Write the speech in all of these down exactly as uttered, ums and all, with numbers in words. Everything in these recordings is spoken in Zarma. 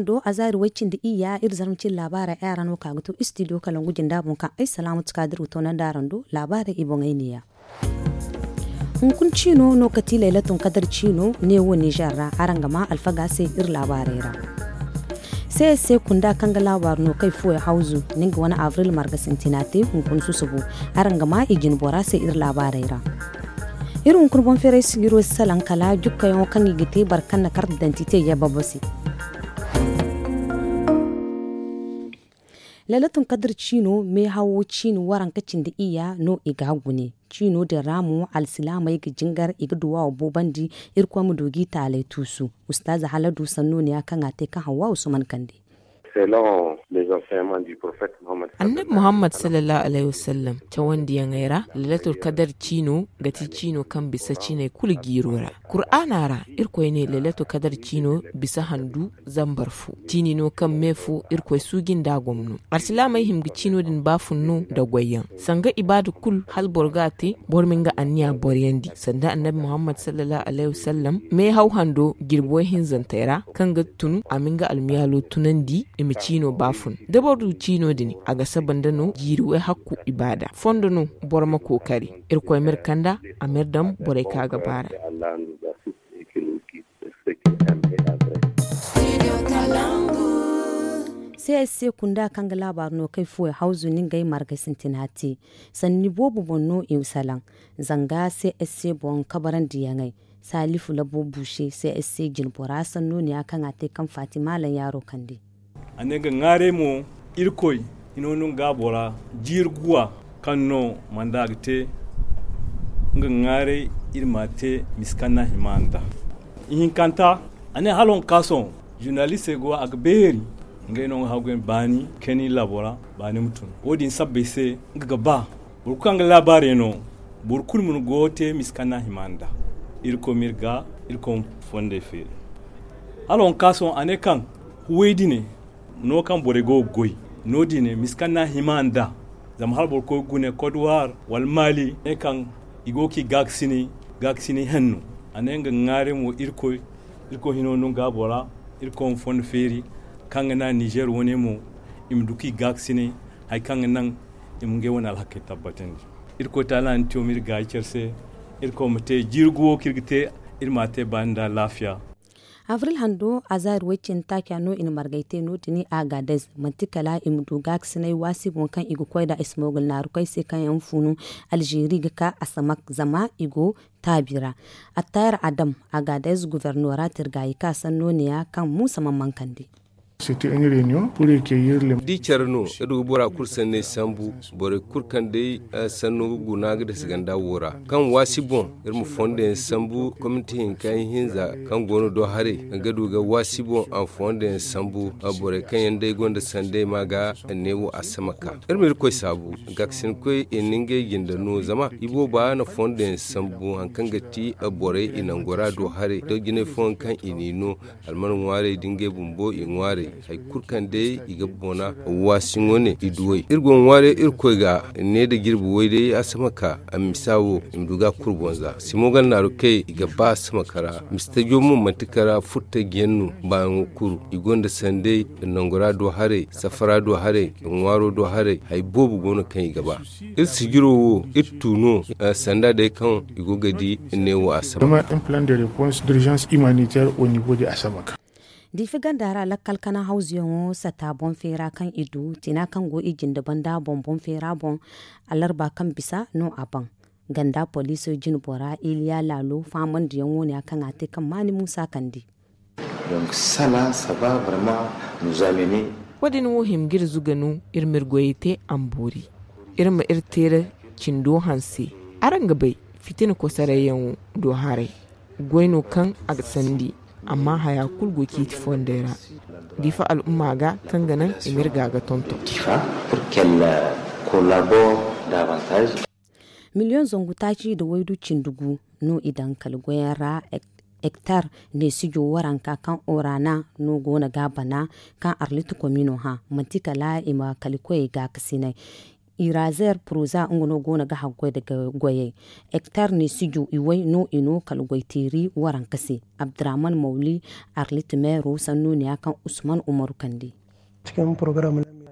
Do a zaari way cindi iyya iri zarma cindi laabaarey ay ra no ka ga to istidiyo kalangu jinda boŋ kaŋ ay salaamatu kaadir ga toonandi araŋ do. Laabaarey i boŋey neeya. Hunkuna ciino no kati laylatun kadar ciino neewo nizer ra araŋ ga ma alfaga se iri laabaarey ra. Seese kunda kaŋ ga laabaaru no kay fuwey hawzu, nin ga wane abril marga sintina te hunkuna susubu. Araŋ ga ma i jine bora se iri laabaarey ra. Iri hunkuna boŋ feeray sijiro si salaŋ kala jukkayaŋo kaŋ i ga te boro kaŋ na karta dantite yababo se. Lailatun kadir ciino meehawo ciini waranka cindi iyya no i ga a gune. Ciino din ra mo alsilaamey ga jingar i ga duwaawo boobandi. Irkoy ma du g'i taaley tuusu. Ustaaza haladu sanno ne ya kaŋ a te kaŋ hawwa usman kande. Annabi muhammad sallallahu alaihi wasallam cawandiyaŋey ra, lailatul kadar ciino ga ti ciino kaŋ bisa ciiney kulu jiiro ra. Kur'aana ra, irkoy ne lailatul kadar ciino bisa handu zambar fo. Ciini no kaŋ me fo irkoy suuji nd'a gomno. Alsilaamey hima ga ciino din baafun no nda goyyaŋ. Sanga ibaada kulu hala boro ga a te, boro ma nga anniya boroyandi sanda annabi muhammad sallallahu alaihi wasallam meehaw hando jirbi way hinzantey ra, kaŋ ga tun a ma nga almiyaalo tunandi i ma ciino baafun. Da boro du ciino din, a ga saba nda no jiiri way hakku ibaada fondo no. Boro ma kookari, irkoy ma iri kand'a, a ma iri daŋ borey kaŋ a ga baar'a. Csc kunda kaŋ ga laabaaru no kay fuwey hawzu ni ngey margay sintina te. Sanni boobo boŋ no i salaŋ. Zanga csc boŋ kabarandiyaŋey, salifu labo buuse csc jinbora sanno ne ya kaŋ a te kaŋ fatima laŋ yaaro kande. A ne nga ŋwaaray mo, irkoy hino no nga bora jiiri guwa kaŋ no manda ga te. Nga ŋwaaray iri ma te miskanna hima nda ihinkanta. A ne hala honka sohõ zurnalistey go a ga beeri. Ngey no nga hagu yaŋ baani kani laabo ra. Baani ma tun wo- din sabbay se nga ga ba boro kulu kaŋ ga laabaarey no. Boro kulu ma ni go te miskanna hima nda. Irkoy ma iri ga irkoy ma fondey feeri. Hala honka sohõ a ne kaŋ huway dine no kaŋ borey go ga goy no- din ne miskanna hima nda. Zama hala boro koy ga gune kodowar wala maali ne kaŋ i go ga ci gaakasinay gaakasinay hanno. A ne nga ŋwaaray mo irkoy irkoy hino no nga bora. Irkoy ma fondo feeri kaŋ ga naŋ nizer wane mo i ma du kaŋ i gaakasinay hari kaŋ ga naŋ i ma ngey wane alhakey tabbatandi. Irkoy taala na tiyo ma iri gaayi care se. Irkoy ma te jiiri guwo kaŋ iri ga te iri ma a te baani nda alaafiya. Abril hando azaari way cindi taaca no i na margay te no- din agadez manti kala i ma du gaakasinay waasi boŋ kaŋ i ga koy nd'a ismogul naarukey se kaŋ yaŋ funu alzeeri ga ka asamak zama i go taabi ra. Attayar adam agadez gubernora tirgaayi ka sanno ne ya kaŋ muusa mana mankandi. Da i care no, iri ga bora kulu sanney sambu. Borey kulu kaŋ day sanno ga guna ga dasa ganda wo ra kaŋ waasi boŋ iri ma fondo yaŋ sambu komiti hinka yaŋ hinza kaŋ go no do haray ga du ga waasi boŋ a ma fondo yaŋ sambu. Borey kaŋ yaŋ day gonda sanday ma ga neewo a sama ka iri ma irkoy saabu. Gaakasinkoy i na ngey jinde no zama i booba na fondo yaŋ sambu hari kaŋ ga ti borey i nango ra do haray da jinay fooyaŋ kaŋ i n'i no. Alman ŋwaarey da ngey bumbo i ŋwaarey hari kulu kaŋ day i ga bona waasiŋo ne i duwey iri go ga ŋwaarey irkoy ga ne nda jirbi way day a sama ka a misa wo i ma du ga a kuru boŋ za simogal naaru kay i ga ba a sama ka ra. Mistajo mo manti kara furtajiyaŋ no baayaŋo kuru i gonda sanday nangora do haray safara do haray ŋwaaro do haray hari boobo go no kaŋ i ga ba. Iri sijiro wo iri tu no sanda day kaŋ i go ga di neewo a sama. Diife ganda ra lakkal kana hawzuyaŋo sata boŋ feera kaŋ i du tina kaŋ go i jinde banda boŋ boŋ feera boŋ. Alarba kaŋ bisa no a baŋ ganda poliso jinbora iliya laalo faamandiyaŋo ne ya kaŋ a te kaŋ maani muusa kandi. Sala saba barma nuzamene. Wo- din wo hima ga iri zuga no iri ma iri goyey te a ma boori. Iri ma iri teera cindo hanse. Araŋ ga bay fitina kosarayyaŋo do haray goy no kaŋ a ga sandi. Amma haya kulu go ciiti fondey ra diifa al'umma ga kaŋ ga naŋ i ma iri ga ga tonton. Miliyoŋ zangu taaci nda waydu cindi gu no i daŋ kala goyaŋ ra. Hektar neesijo waranka kaŋ orana no go no ga a bana kaŋ arlit komino hã manti kala i ma kalikoyey gaakasinay. Irazer proza nga no go no ga haggoy nda goyey. Hektar ne si ju iway no i no kala goyteeri waranka se. Abdurrahman mawli arlit meero sannu ne ya kaŋ usman umaru kande.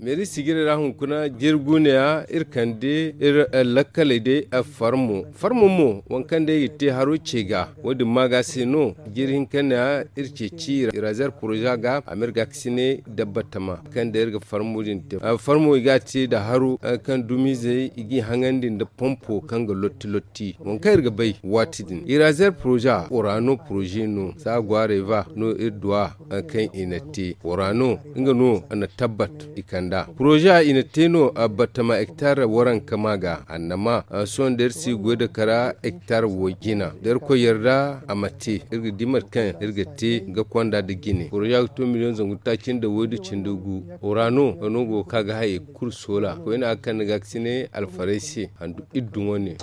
Meeri sijirey ra hunkuna jirgu ne ya iri kande iri lakkaley day farmo farmo mo waŋ kaŋ day i ga te haro ce ga. Wo- din ma ga se no jiri hinka ne ya iri ceeci irazer proza ga a ma iri ga ga sine dabbatama kaŋ day iri ga farmo din te. Farmo i ga a te nda haro kaŋ dumizey i g'i haŋandi nda pompo kaŋ ga lotti lotti waŋ kaŋ iri ga bay waati din irazer proza orano proze no za gwaarey ba no iri duwa kaŋ i na te orano nga no na tabbat i kanda proza i na te no batama hektar waranka ma ga annama. Sohõ da iri si goy nda kara hektar wo jina da iri koy yarda a ma te iri ga di mate kaŋ iri ga te ga konda nda jine proza ga to miliyoŋ zangu taaci nda waydu cindi gu. Orano no go ga ka ga hayey kulu soola koyne a ga kande ga ga sine alfarey se handu iri dumo ne.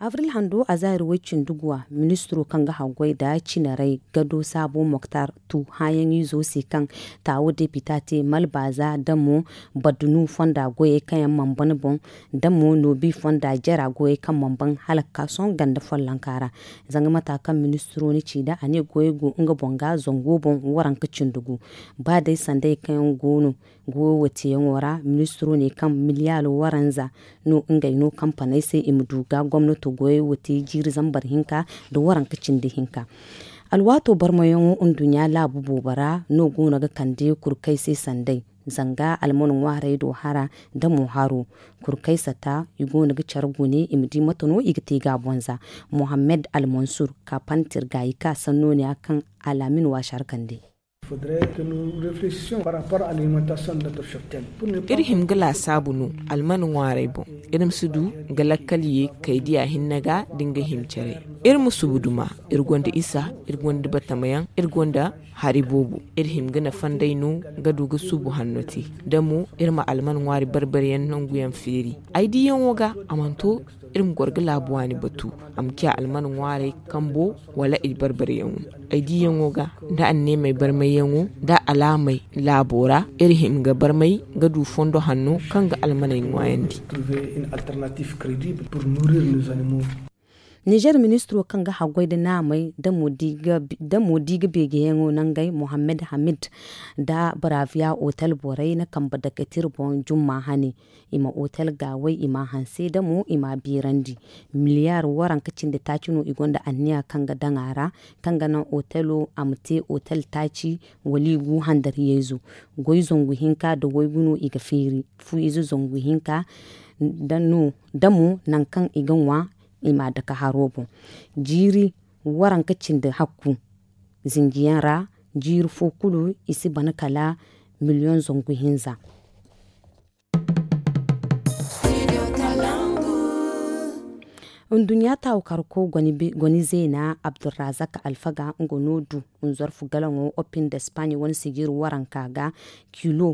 Abril hando a zaari way cindi guwa ministiro kaŋ ga haggoy nda cinarey gado saabo moktar tu hããyaŋ izo se kaŋ taawo depita te malbaaza da mo badunu fonda goyey kaŋ yaŋ mana ban boŋ da mo noobi fonda jara goyey kaŋ mana ban hala ga ka sohõ ganda follonka ra. Zanga mata kaŋ ministiro na ci nd'a a ne goyey go nga boŋ ga zango boŋ waranka cindi gu. Ba day sandey kaŋ yaŋ go no goyo wo teeyaŋo ra ministiro ne kaŋ miliyaalo waranza no ngey no kampaney se i ma du ga gomnato goyey wo te jiiri zambar hinka nda waranka cindi hinka. Alwaato barmayaŋo nduɲɲa laabu boobo ra no go no ga kande kurkay se sanday zanga alman ŋwaarey do hara nda mo haro. Kurkay sata i go no ga care gune i ma di mate no i ga te ga a boŋ za. Mohammed almansur kapantir ga i ka sanno ne ya kaŋ alaamin waasi har kande. Iri hima ga laasaabu no almana ŋwaarey boŋ. Iri ma si du ga lakkal ye kay diya hinne ga da nga hima care. Iri ma subu duma iri gonda isa, iri gonda batamayaŋ, iri gonda hari boobo. Iri hima ga nafa nd'ey no ga du ga subu hanno te. Da mo iri ma almana ŋwaari barbariyaŋ nanguyaŋ feeri. Ay diyaŋo ga a mana to iri ma goro ga laabu waani batu a ma ciya almana ŋwaarey kambo wala i barbaryaŋo. Ay diyaŋo ga nda anneemey barmayyaŋo nda alaamey laabo ra iri hima ga barmay ga du fondo hanno kaŋ ga almaney ŋwaayandi. Nizer ministiro kaŋ ga haggoy nda naamey da mo di ga beegeyaŋo nangey mohammed hamid nda baraviya otel borey na kambe dake tira boŋ jumma hane. I ma otel gaawey i ma a hanse da mo i ma a beerandi. Miliyaar waranka cindi taaci no i gonda anniya kaŋ ga daŋ a ra kaŋ ga naŋ otelo a ma te otel taaci wala i gu handariyayzo. Goy zangu hinka nda waygu no i ga feeri fu ize zangu hinka da mo nangu kaŋ i ga ŋwa i ma a dake haro boŋ. Jiiri waranka cindi hakku zinjiyaŋ ra jiiri fo kulu i si ban kala miliyoŋ zangu hinza. Nduɲɲa taawu karko goni zeena abdurrazak alfaga nga no du nzorfu galaŋo opin da spaaɲe wane sijir waranka ga kilo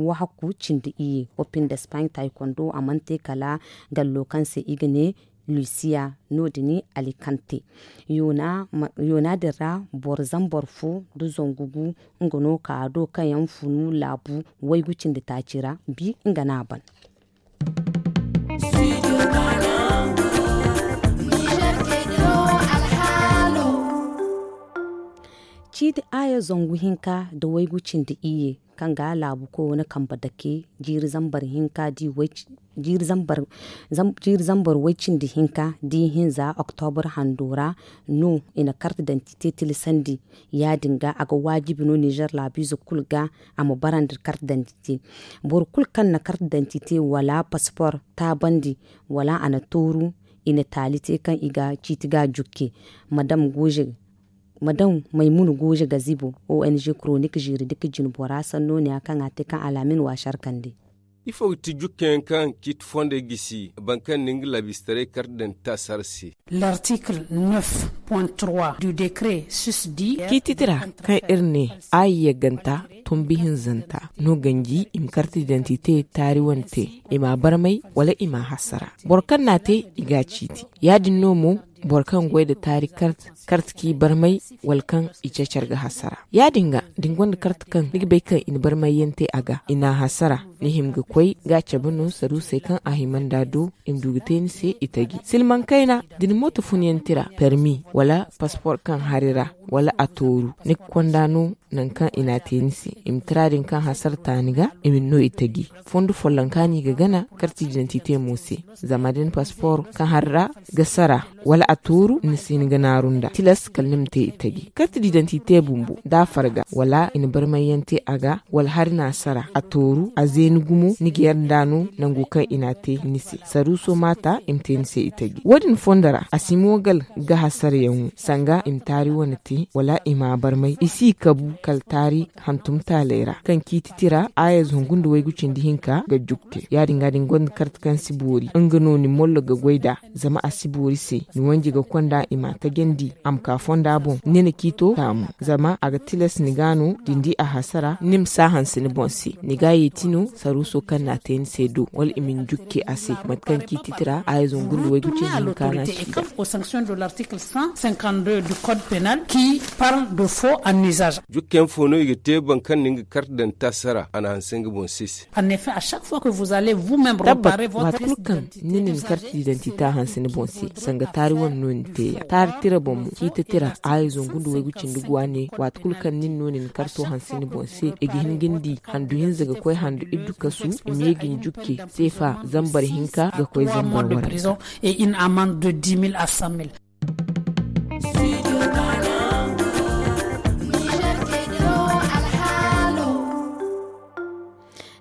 wahakku cindi iyye opin da spaaɲe taayi kondo a mana te kala gallo kaŋ se i ga ne lusiya no- din alikante. Yoona din ra boro zambar fo nda zangu gu nga no ka do kaŋ yaŋ funu laabu waygu cindi taaci ra bi nga no a ban. Ciiti aaya zangu hinka nda waygu cindi iyye kaŋ ga laabu koy wane kambe dake jiiri zambar hinka di way cindi hinka da i hinza oktobur hando ra no i na karte dantite tilasandi. Ya- din ga a ga waajibi no nizer laabiize kulu ga a ma bara nda karte dantite. Boro kulu kaŋ na karte dantite wala pasipor taabandi wala a na tooru i na taali te kaŋ i ga ciiti ga jukke. Madam maymuna gooze gazibo ong koronik ziiri dika jinbora sanno ne ya kaŋ a te kaŋ alaamin waasar kande. Ifo ga ti jukkayaŋ kaŋ ciiti fondey gisi boro kaŋ na nga laabiistaray karte dantita sara se? L'article neuf point trois du décret sus di. Ciiti tira kaŋ iri ne a yagganta tumbi hinzanta no ganji i ma karte dantite taari wane te i ma a barmay wala i ma a hasara. Boro kaŋ na a te i ga a ciiti. Ya- din no mo boro kaŋ goy nda taari kart kart k'i barmay, wala kaŋ i ceecar ga hasara. Ya- din ga da ni gonda kart kaŋ ni ga bay kaŋ i na barmayyaŋ te a ga, i n'a hasara, ni hima ga koy ga a cabe no saruusey kaŋ a hima nd'a do, i ma du ga te ni se i taji silmaŋ kayna. Da ni mooto funyaŋ tira permi wala paspoor kaŋ hari ra, wala a tooru ni ga konda no nangu kaŋ i n'a te ni se, i ma tira din kaŋ hasara ta ni ga, i ma ni no i taji. Fondo folloŋ kaŋ ni ga gana karti didantite mo se. Zama da ni paspoor kaŋ hari ra ga sara, wala a tooru ni si hin ga naaru nd'a tilas kala ni ma te i taji karti didantite bumbo da a farga wala i na barmayyaŋ te a ga, wala hari n'a sara a tooru a zeeni gumo ni ga yar nd'a no nango kaŋ i n'a te ni se saruuso maata i ma te ni se i taji wo- din fondo ra a si moogal ga hasarayaŋo sanga i ma taari wane te wala i m'a barmay i si kabu kala taari hantum taaley ra kaŋ ciiti tira aayazo hungu nda waygu cindi hinka ga jug te. Ya- din ga da ni gonda karti kaŋ si boori nga no ni mollo ga goy nd'a. Zama a si boori se ni wanji ga konda i m'a tajandi a ma ka fonda boŋ ni na ciito taamu. Zama a ga tilas ni ga no da ni di a hasara ni ma si a hanse ni boŋ se ni ga yeeti no saruuso kaŋ n'a te ni se do wala i ma ni jukki a se mate kaŋ ciiti tira aayazo hungu nda waygu cindi hinka n'a ci nd'a. Jukkayaŋ fo no i ga te boro kaŋ na nga kart daŋ taasa ra a na hanse nga boŋ se se. Tabbat, waati kulu kaŋ ni na ni karti didantita hanse ni boŋ se, sanga taari wane no ni te ya taari tira boŋ mo ciita tira aayazo ngu nda waygu cindi guwa ne waati kulu kaŋ ni na no ni ni karto hanse ni boŋ se i ga hin ga ni di handu hinza ga koy handu iddu kasu i ma ye ga ni jukke seefa zambar hinka ga koy zambar waranka.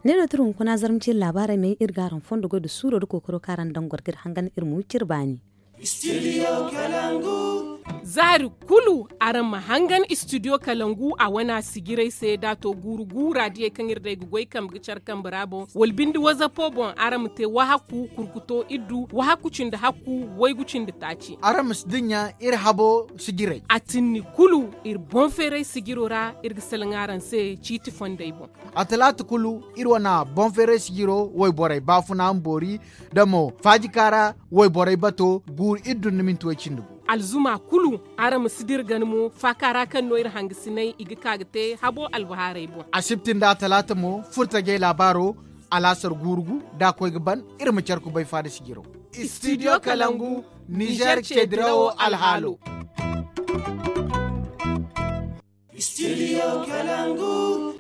Ne no tira hunkuna zarma ciri laabaarey me iri ga araŋ fondo goy nda suuro nda kookaro kaŋ araŋ daŋ goro ga iri hangan iri ma wi cire baani. Zaari kulu araŋ ma hangan istidiyo kalangu a wane a sijirey se da a to guuru guura diyey kaŋ iri day ga goy kambe ga care kambe ra boŋ wala binde wazapo boŋ araŋ ma te wahakku kurkuto iddu wahakku cindi hakku waygu cindi taaci. Araŋ ma si dinya iri habo sijirey a tinni kulu iri boŋ feeray sijiro ra iri ga salaŋ araŋ se ciiti fondey boŋ. A talaata kulu iri wane boŋ feeray sijiro wayborey baafuna ma boori da mo faajika ra wayborey bato guuru iri dun ni minti way cindi bo. Alzuma kulu araŋ ma si dira gana mo faaka ra kaŋ no iri hangasinay i ga ka ga te habo albahaarey boŋ. Asibti nda a talaata mo furtajey laabaaro alaasar guuru gu da a koy ga ban iri ma care kubay faada sijiro. Istidiyo kalangu nizer ceedirawo alhaalo.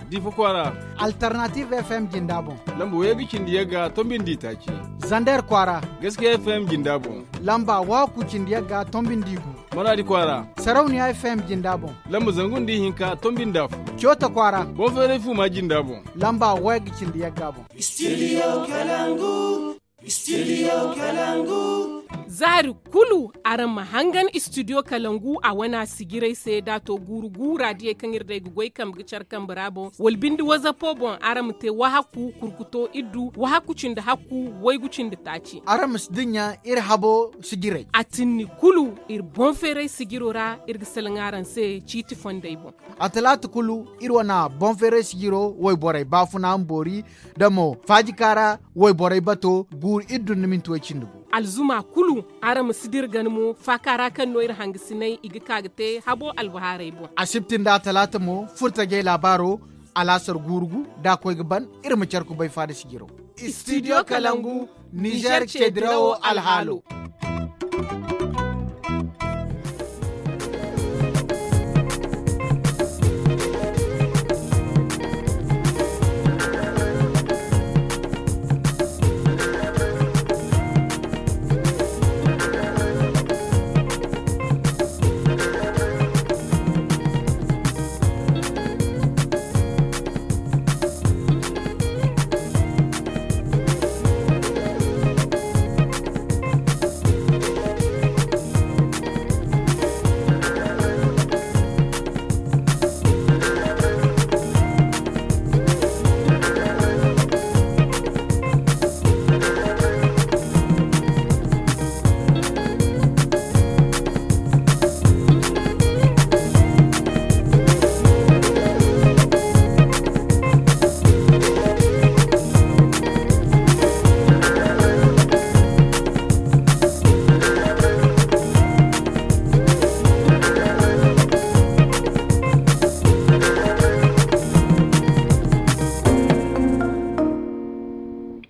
Difa kwaara. Alternative fm jinda boŋ. Lamba waygu cindi yagga tombindi taaci. Zander kwaara. Gaskiya fm jinda boŋ. Lamba wahakku cindi yagga tombindi gu. Maraadi kwaara. Sarauniya fm jinda boŋ. Lamba zangu nda ihinka tombindi afo. Coota kwaara. Boŋ feeray fuuma jinda boŋ. Lamba waygu cindi yagga boŋ. Istidiyo kalangu. Zaari kulu araŋ ma hangan istidiyo kalangu a wane a sijirey se da a to guuru guura diyey kaŋ iri day ga goy kambe ga care kambe ra boŋ wala binde wazapo boŋ araŋ ma te wahakku kurkuto iddu wahakku cindi hakku waygu cindi taaci. Araŋ ma si dinya iri habo sijirey a tinni kulu iri boŋ feeray sijiro ra iri ga salaŋ araŋ se ciiti fondey boŋ. A talaata kulu iri wane boŋ feeray sijiro wayborey baafuna ma boori da mo faajika ra wayborey bato guuru iri dun ni minti way cindi gu. Alzuma kulu araŋ ma si dira gana mo faaka ra kaŋ no iri hangasinay i ga ka ga te habo albahaarey boŋ. Asibti nda a talaata mo furtajey laabaaro alaasar guuru gu da a koy ga ban iri ma care kubay faada sijiro. Istidiyo kalangu nizer ceedirawo alhaalo.